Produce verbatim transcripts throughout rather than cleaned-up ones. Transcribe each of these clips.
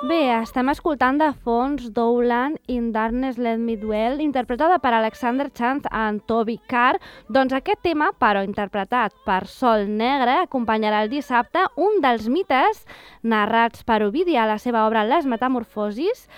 Bé, estem escoltant de fons Dowland in Darkness Let Me Dwell, interpretada per Alexander Chant and Toby Carr. Doncs aquest tema, però interpretat per Sol Negre, acompanyarà el dissabte un dels mites narrats per Ovidi a la seva obra Les Metamorfosis,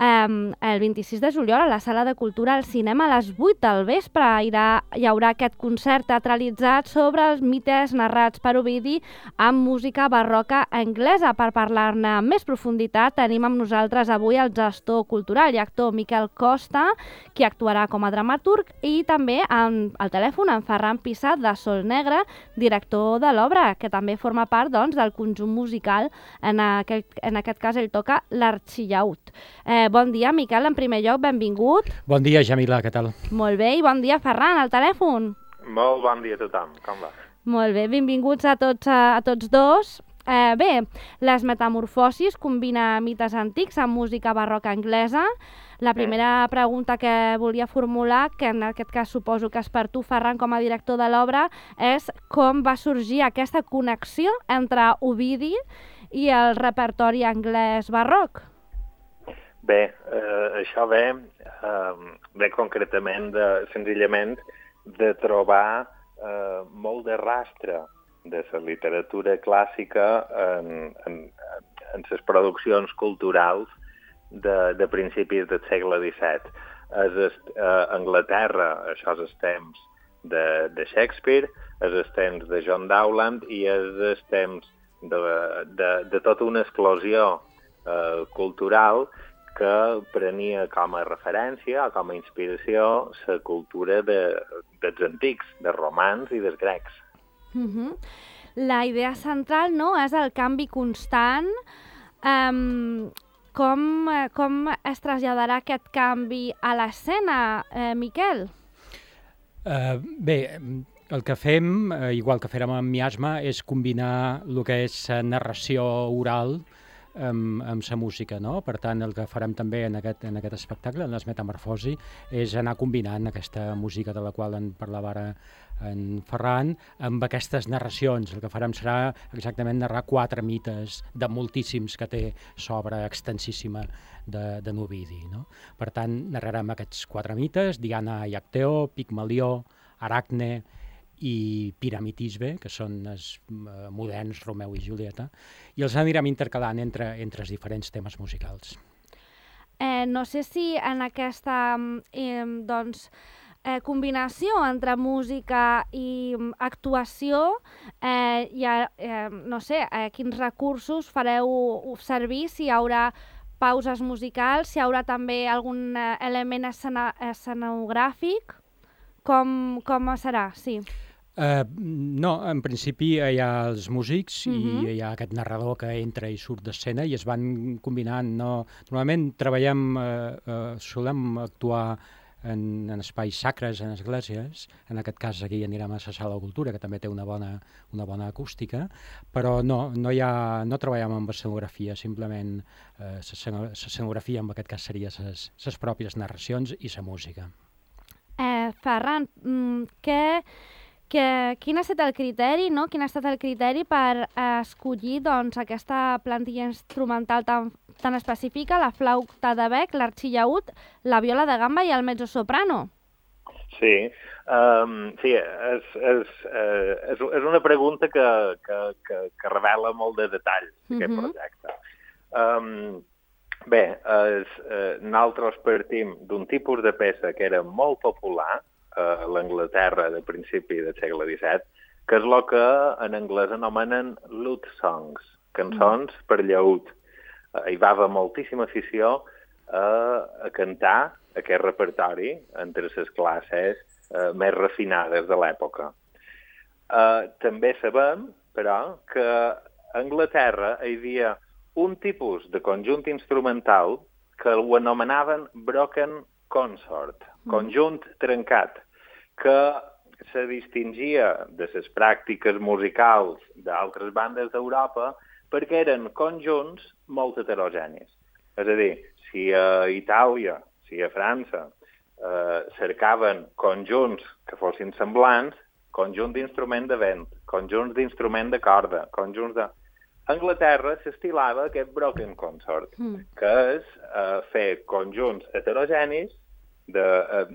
Um, el vint-i-sis de juliol a la Sala de Cultura al Cinema a les vuit del vespre. Hi haurà, hi haurà aquest concert teatralitzat sobre els mites narrats per Ovidi amb música barroca anglesa. Per parlar-ne amb més profunditat tenim amb nosaltres avui el gestor cultural i actor Miquel Costa, qui actuarà com a dramaturg, i també amb el telèfon en Ferran Pissat de Sol Negre, director de l'obra, que també forma part doncs, del conjunt musical. En aquest, en aquest cas ell toca l'Arxillaüt. Eh, Bon dia, Miquel, en primer lloc, benvingut. Bon dia, Jamila, què tal? Molt bé, i bon dia, Ferran, al telèfon. Molt bon dia a tothom, com va? Molt bé, benvinguts a tots, a, a tots dos. Eh, bé, Les Metamorfosis combina mites antics amb música barroca anglesa. La primera pregunta que volia formular, que en aquest cas suposo que és per tu, Ferran, com a director de l'obra, és com va sorgir aquesta connexió entre Ovidi i el repertori anglès barroc? Bé, eh, això ve, eh, ve concretament, de, senzillament, de trobar eh, molt de rastre de la literatura clàssica en, en, en les produccions culturals de, de principis del segle disset. És eh, Anglaterra, això és els temps de, de Shakespeare, és els temps de John Dowland i és els temps de, de, de tota una explosió eh, cultural que prenia com a referència o com a inspiració la cultura de, dels antics, dels romans i dels grecs. Uh-huh. La idea central, no?, és el canvi constant. Um, com, com es traslladarà aquest canvi a l'escena, eh, Miquel? Uh, bé, el que fem, uh, igual que fèrem amb Miasma, és combinar el que és narració oral amb, amb la música, no? Per tant, el que farem també en aquest, en aquest espectacle, en Les Metamorfosi, és anar combinant aquesta música de la qual en parlava ara en Ferran, amb aquestes narracions. El que farem serà exactament narrar quatre mites de moltíssims que té l'obra extensíssima de, de Ovidi, no? Per tant, narrarem aquests quatre mites: Diana i Acteó, Pigmalió, Aracne i Piramitisbe, que són els uh, moderns Romeu i Julieta, i els anirem intercalant entre, entre els diferents temes musicals. Eh, no sé si en aquesta eh, doncs, eh, combinació entre música i actuació eh, hi ha, eh, no sé, eh, quins recursos fareu servir, si hi haurà pauses musicals, si hi haurà també algun eh, element escena, escenogràfic, com, com serà? Sí. Uh, no, en principi hi ha els músics uh-huh. i hi ha aquest narrador que entra i surt d'escena i es van combinant. No? Normalment treballem, uh, uh, solem actuar en, en espais sacres, en esglésies. En aquest cas aquí anirem a la Sala de Cultura, que també té una bona, una bona acústica, però no, no, hi ha, no treballem amb escenografia, simplement uh, l'escenografia en aquest cas seria les, les pròpies narracions i la música. Eh, Ferran, mm, què... Que, quin ha estat el criteri, no? Quin ha estat el criteri per eh, escollir doncs, aquesta plantilla instrumental tan, tan específica, la flauta de bec, l'arxillaüt, la viola de gamba i el mezzosoprano? Sí, um, sí és, és, eh, és, és una pregunta que, que, que, que revela molt de detalls d'aquest uh-huh. projecte. Um, bé, es, eh, nosaltres partim d'un tipus de peça que era molt popular a l'Anglaterra de principi del segle disset, que és el que en anglès anomenen lute songs, cançons mm. per llaüt. Hi va haver moltíssima afició a, a cantar aquest repertori entre les classes eh, més refinades de l'època. Eh, també sabem, però, que a Anglaterra hi havia un tipus de conjunt instrumental que ho anomenaven broken consort, conjunt trencat, que se distingia de les pràctiques musicals d'altres bandes d'Europa perquè eren conjunts molt heterogenis. És a dir, si a Itàlia, si a França eh, cercaven conjunts que fossin semblants, conjunt d'instrument de vent, conjunts d'instrument de corda, conjunts de... a Anglaterra s'estilava aquest broken consort, mm. que és uh, fer conjunts heterogenis de, uh,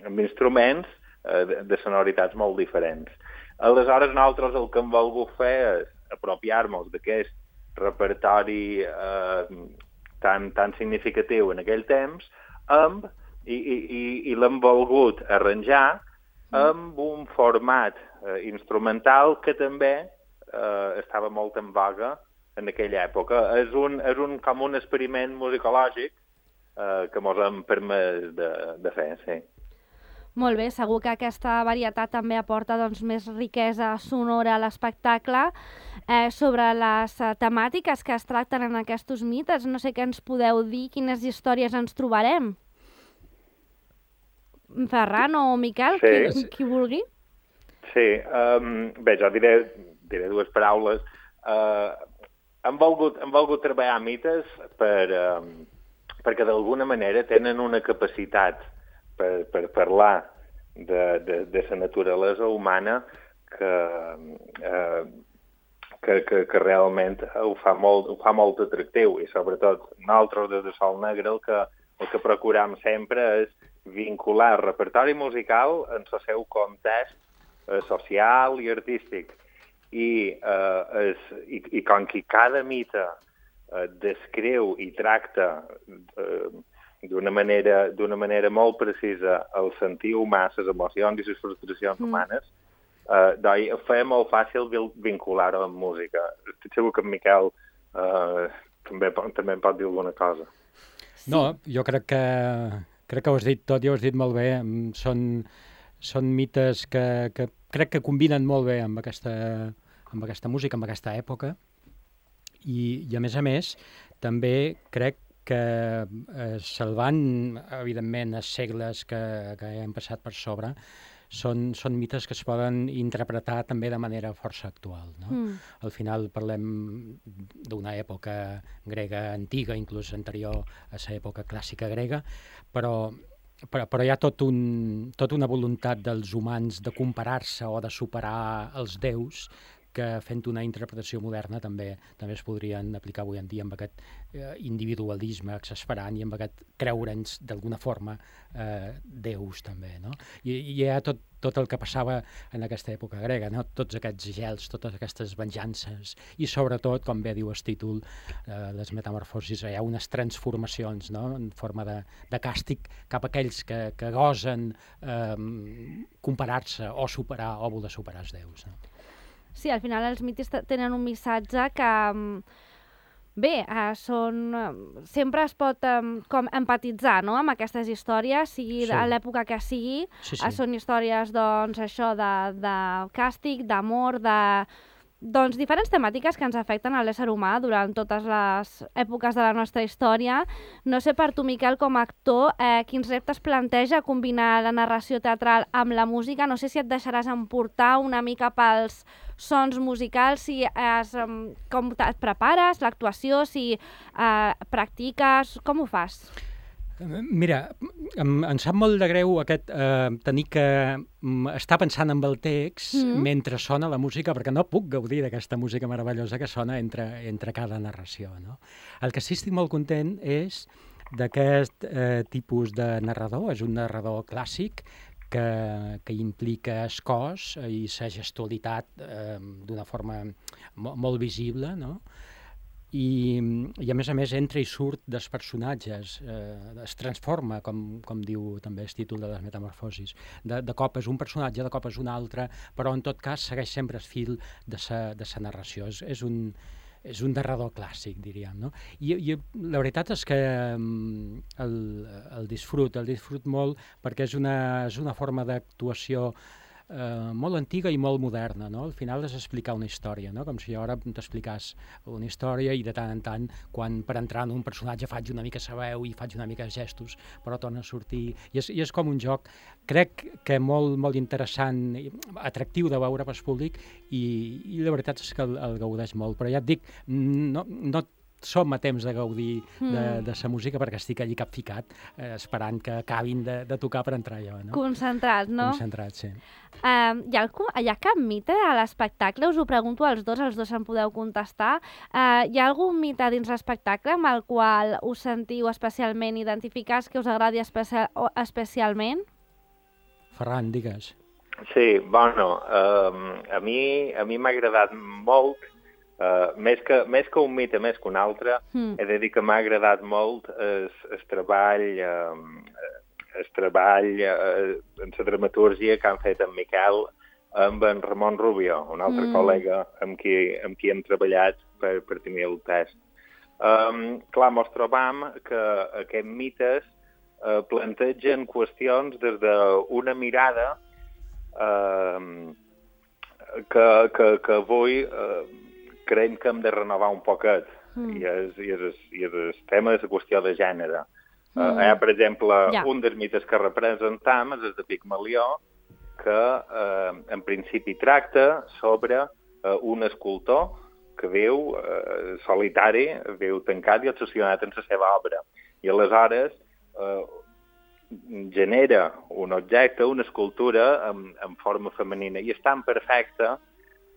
amb instruments uh, de, de sonoritats molt diferents. Aleshores, nosaltres el que hem volgut fer és apropiar-nos d'aquest repertori uh, tan, tan significatiu en aquell temps amb, i, i, i l'hem volgut arranjar amb un format uh, instrumental que també uh, estava molt en vaga en aquella època. És un, és un, com un experiment musicològic uh, que ens hem permès de, de fer, sí. Molt bé, segur que aquesta varietat també aporta doncs, més riquesa sonora a l'espectacle. Eh, sobre les uh, temàtiques que es tracten en aquests mites, no sé què ens podeu dir, quines històries ens trobarem? Ferran o Miquel, sí. qui, qui vulgui? Sí, um, bé, jo diré, diré dues paraules. Uh, hem, volgut, hem volgut treballar mites per, um, perquè d'alguna manera tenen una capacitat per, per parlar de, de, de la naturalesa humana que, uh, que, que, que realment ho fa, molt, ho fa molt atractiu, i sobretot nosaltres des de Sol Negre el que, el que procuram sempre és vincular el repertori musical en el seu context eh, social i artístic. I, eh, és, i, i com que cada mite eh, descriu i tracta eh, d'una manera, d'una manera molt precisa el sentir humà, les emocions i les frustracions mm. humanes, eh, doncs ho feia molt fàcil vincular-ho amb música. Estic segur que en Miquel eh, també, també en pot dir alguna cosa. Sí. No, jo crec que Crec que ho has dit tot i ho has dit molt bé. Són, són mites que, que crec que combinen molt bé amb aquesta, amb aquesta música, amb aquesta època. I, i a més a més, també crec que eh, salvant, evidentment, els segles que, que hem passat per sobre, són, són mites que es poden interpretar també de manera força actual. No? Mm. Al final parlem d'una època grega antiga, inclús anterior a l'època clàssica grega, però, però, però hi ha tot un, tota una voluntat dels humans de comparar-se o de superar els déus que fent una interpretació moderna també també es podrien aplicar avui en dia amb aquest eh, individualisme exasperant i amb aquest creure'ns d'alguna forma eh, déus també, no? I, i hi ha tot, tot el que passava en aquesta època grega, no? Tots aquests gels, totes aquestes venjances i sobretot, com bé diu el títol, eh, les metamorfosis, hi ha unes transformacions, no? En forma de, de càstig cap a aquells que, que gosen eh, comparar-se o superar o voler superar els déus, no? Sí, al final els mites tenen un missatge que, bé, eh, són, sempre es pot eh, com empatitzar, no?, amb aquestes històries, sigui sí. a l'època que sigui. Sí, sí. Eh, són històries, doncs, això de, de càstig, d'amor, de... doncs diferents temàtiques que ens afecten a l'ésser humà durant totes les èpoques de la nostra història. No sé per tu, Miquel, com a actor, eh, quins reptes planteja combinar la narració teatral amb la música. No sé si et deixaràs emportar una mica pels sons musicals, si es, com et prepares, l'actuació, si eh, practiques, com ho fas? Mira, em, em sap molt de greu aquest eh, tenir que mm, estar pensant en el text mm. mentre sona la música, perquè no puc gaudir d'aquesta música meravellosa que sona entre, entre cada narració, no? El que sí estic molt content és d'aquest eh, tipus de narrador, és un narrador clàssic que, que implica el cos i la gestualitat eh, d'una forma mo molt visible, no? I, i a més a més entra i surt dels personatges, eh, es transforma, com, com diu també el títol de les metamorfosis. De, de cop és un personatge, de cop és un altre, però en tot cas segueix sempre el fil de sa, de sa narració. És, és, un, és un narrador clàssic, diríem, no? I, i la veritat és que el, el disfrut, el disfrut molt, perquè és una, és una forma d'actuació Uh, molt antiga i molt moderna, no? Al final és explicar una història, no? Com si jo ara t'explicàs una història i de tant en tant, quan per entrar en un personatge faig una mica la veu i faig una mica de gestos, però torna a sortir. I és, i és com un joc, crec que molt, molt interessant, atractiu de veure pel públic i, i la veritat és que el, el gaudeix molt. Però ja et dic, no, no som a temps de gaudir Mm. de, de sa música perquè estic allí capficat, eh, esperant que acabin de, de tocar per entrar jo, no? Concentrat, no? Concentrat, sí. Um, hi, ha, algú- hi ha cap mite a l'espectacle? Us ho pregunto als dos, els dos em podeu contestar. Uh, hi ha algun mite dins l'espectacle amb el qual us sentiu especialment identificats, que us agradi especia o- especialment? Ferran, digues. Sí, bueno, um, a mi a mi m'ha agradat molt, uh, més, que, més que un mite, més que un altre, Mm. he de dir que m'ha agradat molt el, el treball, um, el treball uh, en la dramatúrgia que han fet en Miquel amb en Ramon Rubio, un altre Mm. col·lega amb qui, amb qui hem treballat per, per tenir el test. Um, clar, mos trobam que aquests mites uh, plantegen qüestions des d'una mirada Uh, que, que, que avui uh, creiem que hem de renovar un poquet, mm. i, és, i, és, i és el tema és la qüestió de gènere. Mm. Uh, hi ha, per exemple, ja. un dels mites que representam és el de Pigmalió, que uh, en principi tracta sobre uh, un escultor que viu uh, solitari, viu tancat i obsessionat en la seva obra. I aleshores uh, genera un objecte, una escultura en, en forma femenina, i és tan perfecta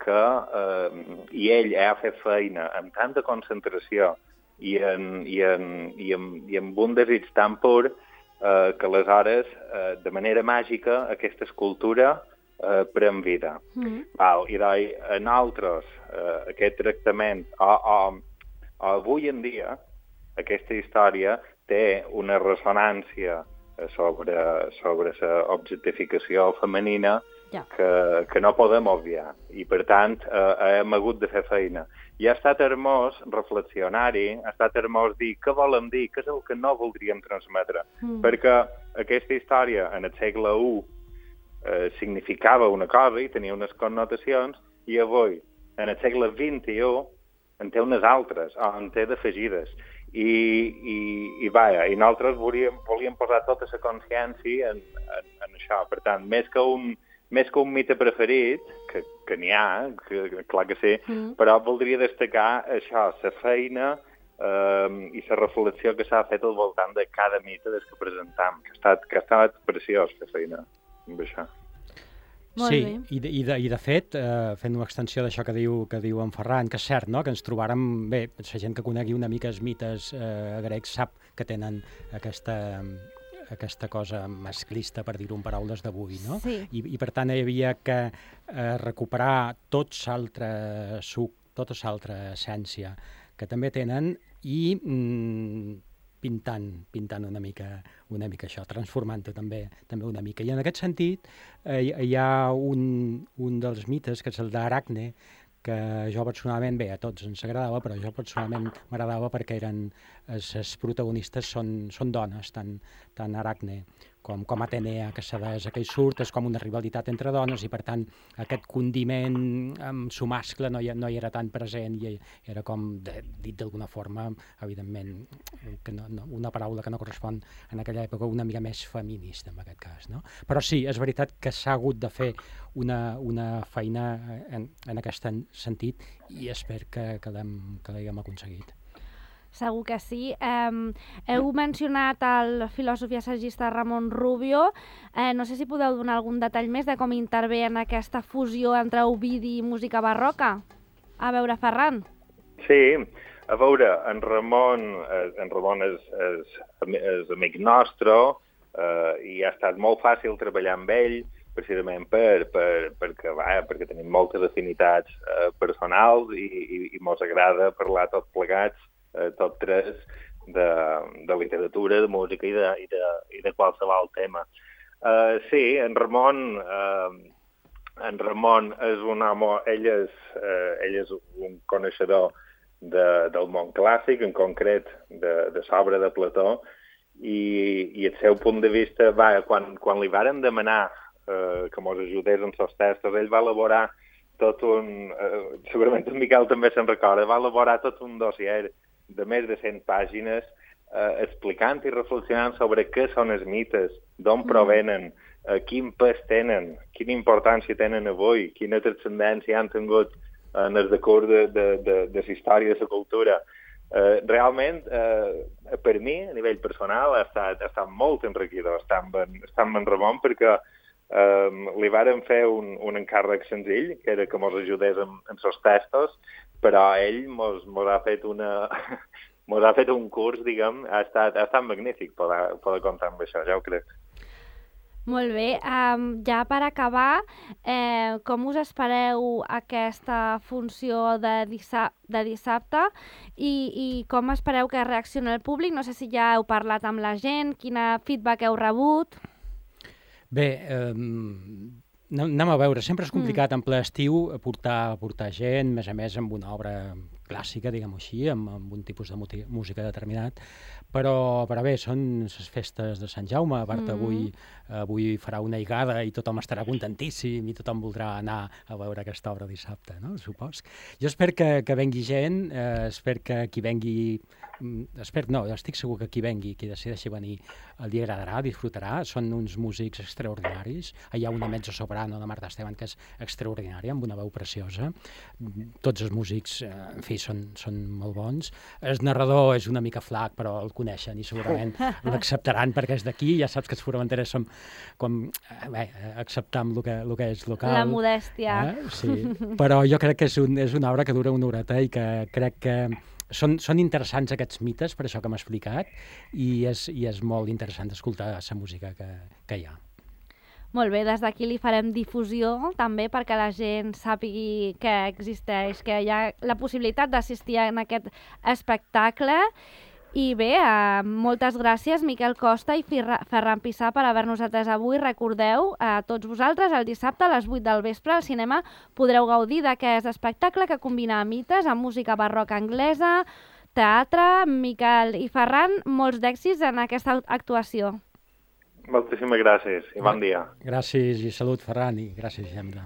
que eh, i ell ha fet feina amb tanta concentració i, en, i, en, i, en, i amb un desig tan pur eh, que aleshores, eh, de manera màgica, aquesta escultura eh, pren vida. Mm. Val, I doncs, en altres, eh, aquest tractament, o, o, o avui en dia, aquesta història té una ressonància sobre, sobre la objectificació femenina ja. que, que no podem obviar. I, per tant, eh, hem hagut de fer feina. I ha estat hermós reflexionar-hi, ha estat hermós dir què volem dir, què és el que no voldríem transmetre. Mm. Perquè aquesta història, en el segle u, eh, significava una cosa i tenia unes connotacions, i avui, en el segle vint-i-u, en té unes altres, o en té d'afegides. I, i, i vaja, i nosaltres volíem, volíem posar tota la consciència en, en, en això. Per tant, més que un, més que un mite preferit, que, que n'hi ha, que, clar que sí, mm. però voldria destacar això, la feina eh, i la reflexió que s'ha fet al voltant de cada mite des que presentam, que ha estat, que ha estat preciós fer feina amb això. Molt sí, bé. i de, i, de, i de fet, eh, fent una extensió d'això que diu, que diu en Ferran, que és cert, no?, que ens trobàrem, bé, la gent que conegui una mica els mites eh, grecs sap que tenen aquesta, aquesta cosa masclista, per dir-ho en paraules d'avui, no? Sí. I, I per tant hi havia que eh, recuperar tot l'altre suc, tota l'altra essència que també tenen i mm, pintant, pintant una mica, una mica això, transformant-ho també, també una mica. I en aquest sentit eh, hi ha un, un dels mites, que és el d'Aracne, que jo personalment, bé, a tots ens agradava, però jo personalment m'agradava perquè eren, els protagonistes són, són dones, tant, tant Aracne com, com Atenea, que la deessa que hi surt, és com una rivalitat entre dones i, per tant, aquest condiment amb su mascle no hi, no hi era tan present i era com, de, dit d'alguna forma, evidentment, que no, no, una paraula que no correspon en aquella època una mica més feminista, en aquest cas, no? Però sí, és veritat que s'ha hagut de fer una, una feina en, en aquest sentit i espero que, que l'haguem aconseguit. Segur que sí. Eh, heu mencionat el filòsof i assagista Ramon Rubio. Eh, no sé si podeu donar algun detall més de com intervé en aquesta fusió entre Ovidi i música barroca. A veure, Ferran. Sí, a veure, en Ramon, eh, en Ramon és, és, és amic nostre eh, i ha estat molt fàcil treballar amb ell, precisament per, per, perquè, va, perquè tenim moltes afinitats eh, personals i, i, i mos agrada parlar tots plegats, eh, tot tres, de, de literatura, de música i de, i de, i de qualsevol tema. Uh, sí, en Ramon, uh, en Ramon és un home, ell és, uh, ell és un coneixedor de, del món clàssic, en concret de, de l'obra de Plató, i, i el seu punt de vista, va, quan, quan li varen demanar uh, que mos ajudés en els textos, ell va elaborar tot un, uh, segurament en Miquel també se'n recorda, va elaborar tot un dossier de més de cent pàgines eh, explicant i reflexionant sobre què són els mites, d'on provenen, eh, quin pes tenen, quina importància tenen avui, quina transcendència han tingut en el decurs de, de, de, de la història de la cultura. eh, realment, eh, per mi, a nivell personal, ha estat, ha estat molt enriquidor estar amb en, estar amb en Ramon, perquè eh, li vàrem fer un, un encàrrec senzill, que era que mos ajudés amb, amb els textos, però ell mos, mos ha fet una... mos ha fet un curs, diguem, ha estat, ha estat magnífic poder, poder comptar amb això, ja ho crec. Molt bé. Um, ja per acabar, eh, com us espereu aquesta funció de, dissab de dissabte i, i com espereu que reaccioni el públic? No sé si ja heu parlat amb la gent, quina feedback heu rebut? Bé, eh, anem a veure, sempre és complicat mm. en ple estiu portar, portar gent, més a més amb una obra clàssica, diguem-ho així, amb, amb un tipus de música determinat, però, però bé, són les festes de Sant Jaume, a part mm. avui, avui farà una higada i tothom estarà contentíssim i tothom voldrà anar a veure aquesta obra dissabte, no? Supos. Jo espero que, que vengui gent, eh, espero que qui vengui, espero, no, estic segur que qui vengui, qui decideixi venir, li agradarà, disfrutarà, són uns músics extraordinaris, hi ha una mezzo-soprano de Marta Esteban que és extraordinària, amb una veu preciosa, tots els músics, eh, en fi, són, són molt bons. El narrador és una mica flac, però el coneixen i segurament l'acceptaran perquè és d'aquí. Ja saps que els formenteres som com, bé, acceptar el que, el que és local. La modèstia. Eh? Sí, però jo crec que és, un, és una obra que dura una horeta i que crec que són, són interessants aquests mites, per això que m'ha explicat, i és, i és molt interessant d'escoltar la música que, que hi ha. Molt bé, des d'aquí li farem difusió també perquè la gent sàpigui que existeix, que hi ha la possibilitat d'assistir en aquest espectacle. I bé, eh, moltes gràcies Miquel Costa i Ferran Pissà per haver-nos atès avui. Recordeu, a tots vosaltres, el dissabte a les vuit del vespre al cinema podreu gaudir d'aquest espectacle que combina mites amb música barroca anglesa, teatre. Miquel i Ferran, molts d'èxits en aquesta actuació. Moltíssimes gràcies i bon dia. Gràcies i salut, Ferran, i gràcies, Gemma.